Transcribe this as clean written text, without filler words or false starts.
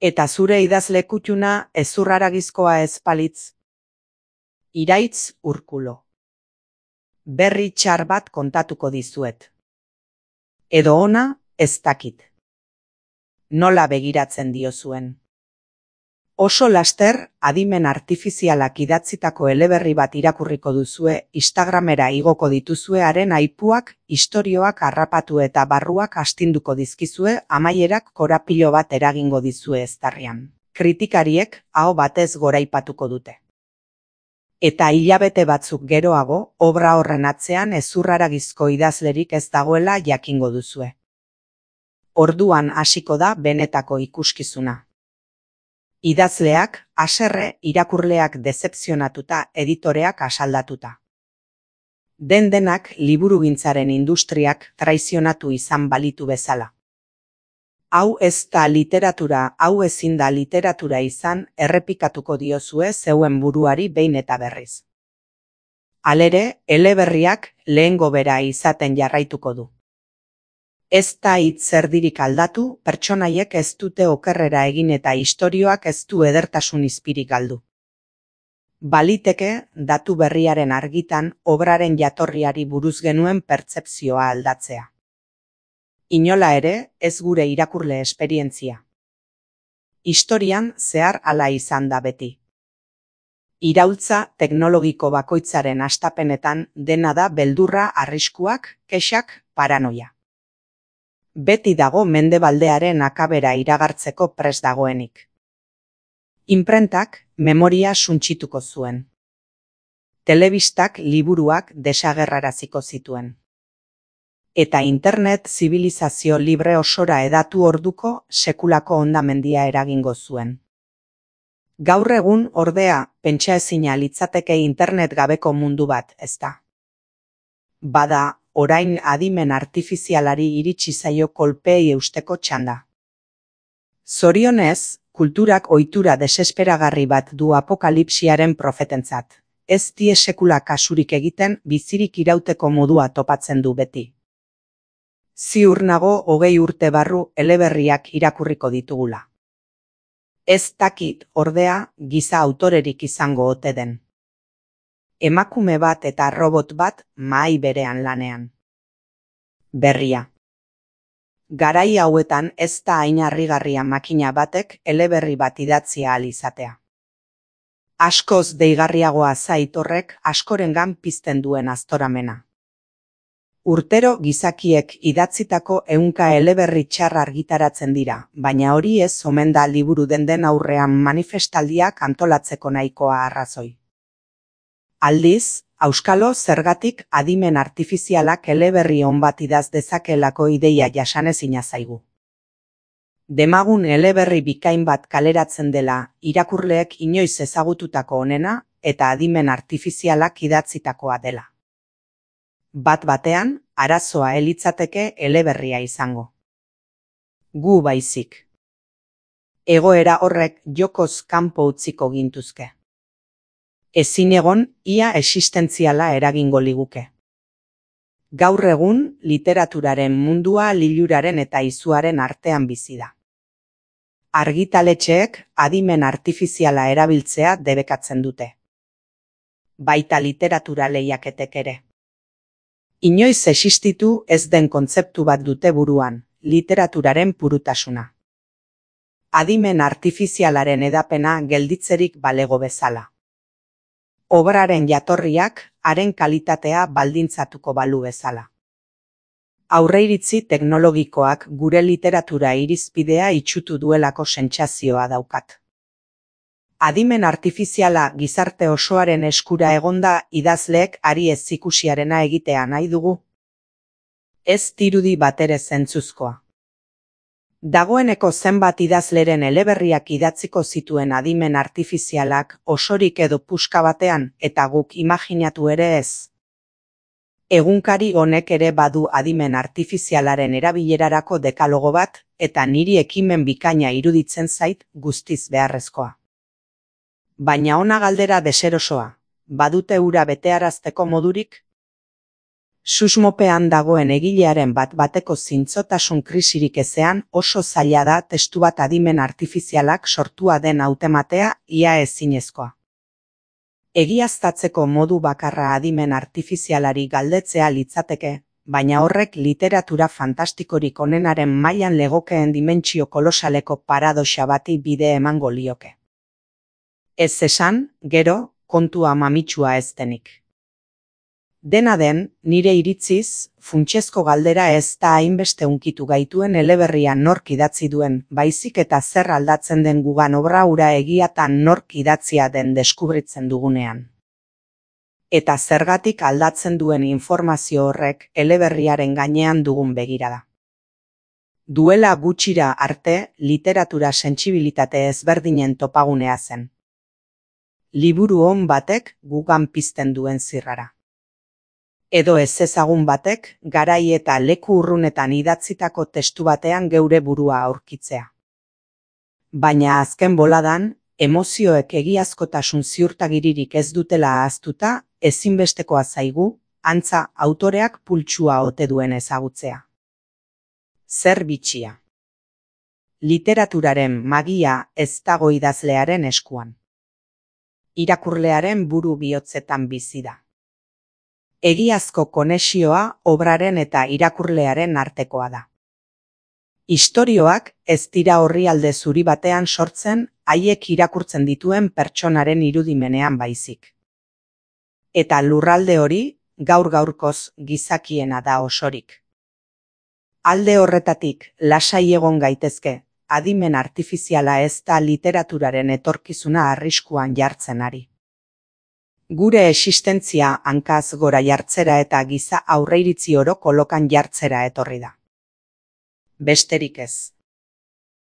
Eta zure idazle kutxuna hezurraragizkoa ez balitz? Iraitz Urkulo. Berri txar bat kontatuko dizuet. Edo ona, ez dakit. Nola begiratzen diozuen. Oso laster, adimen artifizialak idatzitako eleberri bat irakurriko duzue, Instagramera igoko dituzue haren aipuak, istorioak harrapatu eta barruak astinduko dizkizue, amaierak korapilo bat eragingo dizue eztarrian. Kritikariek aho batez goraipatuko dute. Eta hilabete batzuk geroago, obra horren atzean hezurraragizko idazlerik ez dagoela jakingo duzue. Orduan hasiko da benetako ikuskizuna. Idazleak, haserre, irakurleak dezepzionatuta, editoreak asaldatuta. Den-denak liburugintzaren industriak traizionatu izan balitu bezala. Hau ez da literatura, hau ezin da literatura izan, errepikatuko diozue zeuen buruari behin eta berriz. Halere, eleberriak lehengo bera izaten jarraituko du. Ez da hitz erdirik aldatu, pertsonaiek ez dute okerrera egin eta istorioak ez du edertasun izpirik galdu. Baliteke, datu berriaren argitan, obraren jatorriari buruz genuen pertzepzioa aldatzea. Inola ere, ez gure irakurle esperientzia. Historian zehar hala izan da beti. Iraultza teknologiko bakoitzaren hastapenetan dena da beldurra, arriskuak, kexak, paranoia. Beti dago mendebaldearen akabera iragartzeko prest dagoenik. Inprentak memoria suntsituko zuen. Telebistak liburuak desagerraraziko zituen. Eta internet zibilizazio libre osora hedatu orduko sekulako hondamendia eragingo zuen. Gaur egun, ordea, pentsaezina litzateke internet gabeko mundu bat, ezta? Bada, orain adimen artifizialari iritsi zaio kolpeei eusteko txanda. Zorionez, kulturak ohitura desesperagarri bat du apokalipsiaren profetentzat. Ez die sekula kasurik egiten, bizirik irauteko modua topatzen du beti. Ziur nago 20 urte barru eleberriak irakurriko ditugula. Ez dakit, ordea, giza autorerik izango ote den. Emakume bat eta robot bat mahai berean lanean. Berria. Garai hauetan ez da hain harrigarria makina batek eleberri bat idatzia ahal izatea. Askoz deigarriagoa zait horrek askorengan pizten duen aztoramena. Urtero gizakiek idatzitako 100 eleberri txar argitaratzen dira, baina hori ez omen da liburu den aurrean manifestaldiak antolatzeko nahikoa arrazoi. Aldiz, auskalo zergatik adimen artifizialak eleberri on bat idaz dezakelako ideia jasanezina zaigu. Demagun eleberri bikain bat kaleratzen dela irakurleek inoiz ezagututako onena eta adimen artifizialak idatzitakoa dela. Bat batean, arazoa elitzateke eleberria izango. Gu baizik. Egoera horrek jokoz kanpo utziko gintuzke. Ezin egon, ia existentziala eragingo liguke. Gaur egun, literaturaren mundua liluraren eta izuaren artean bizi da. Argitaletxeek adimen artifiziala erabiltzea debekatzen dute. Baita literatura lehiaketek ere. Inoiz existitu ez den kontzeptu bat dute buruan, literaturaren purutasuna. Adimen artifizialaren edapena gelditzerik balego bezala. Obraren jatorriak, haren kalitatea baldintzatuko balu bezala. Aurreiritzi teknologikoak gure literatura irizpidea itsutu duelako sentsazioa daukat. Adimen artifiziala gizarte osoaren eskura egonda idazleek ari ez ikusiarena egitea nahi dugu. Ez dirudi batere zentzuzkoa. Dagoeneko zenbat idazleren eleberriak idatziko zituen adimen artifizialak osorik edo puska batean eta guk imaginatu ere ez. Egunkari honek ere badu adimen artifizialaren erabilerarako dekalogo bat eta niri ekimen bikaina iruditzen zait guztiz beharrezkoa. Baina ona galdera deserosoa, badute hura betearazteko modurik? Susmopean dagoen egilearen bat-bateko zintzotasun krisirik ezean oso zaila da testu bat adimen artifizialak sortua den hautematea ia ezinezkoa. Egiaztatzeko modu bakarra adimen artifizialari galdetzea litzateke, baina horrek literatura fantastikorik onenaren mailan legokeen dimentsio kolosaleko paradoxa bati bide emango lioke. Ez esan, gero, kontua mamitsua ez denik. Dena den, nire iritziz, funtsezko galdera ez da hainbeste hunkitu gaituen eleberria nork idatzi duen, baizik eta zer aldatzen den gugan obra hura egiatan nork idatzia den deskubritzen dugunean. Eta zergatik aldatzen duen informazio horrek eleberriaren gainean dugun begirada. Duela gutxira arte, literatura sentsibilitate ezberdinen topagunea zen. Liburu on batek gugan pizten duen zirrara. Edo ez ezagun batek, garai eta leku urrunetan idatzitako testu batean geure burua aurkitzea. Baina azken boladan, emozioek egiazkotasun ziurtagiririk ez dutela ahaztuta, ezinbestekoa zaigu, antza autoreak pultsua ote duen ezagutzea. Zer bitxia. Literaturaren magia ez dago idazlearen eskuan. Irakurlearen buru bihotzetan bizi da. Egiazko konexioa obraren eta irakurlearen artekoa da. Istorioak ez dira orrialde zuri batean sortzen haiek irakurtzen dituen pertsonaren irudimenean baizik. Eta lurralde hori, gaur-gaurkoz gizakiena da osorik. Alde horretatik, lasai egon gaitezke, adimen artifiziala ez da literaturaren etorkizuna arriskuan jartzen ari. Gure existentzia hankaz gora jartzera eta giza aurreiritzi oro kolokan jartzera etorri da. Besterik ez.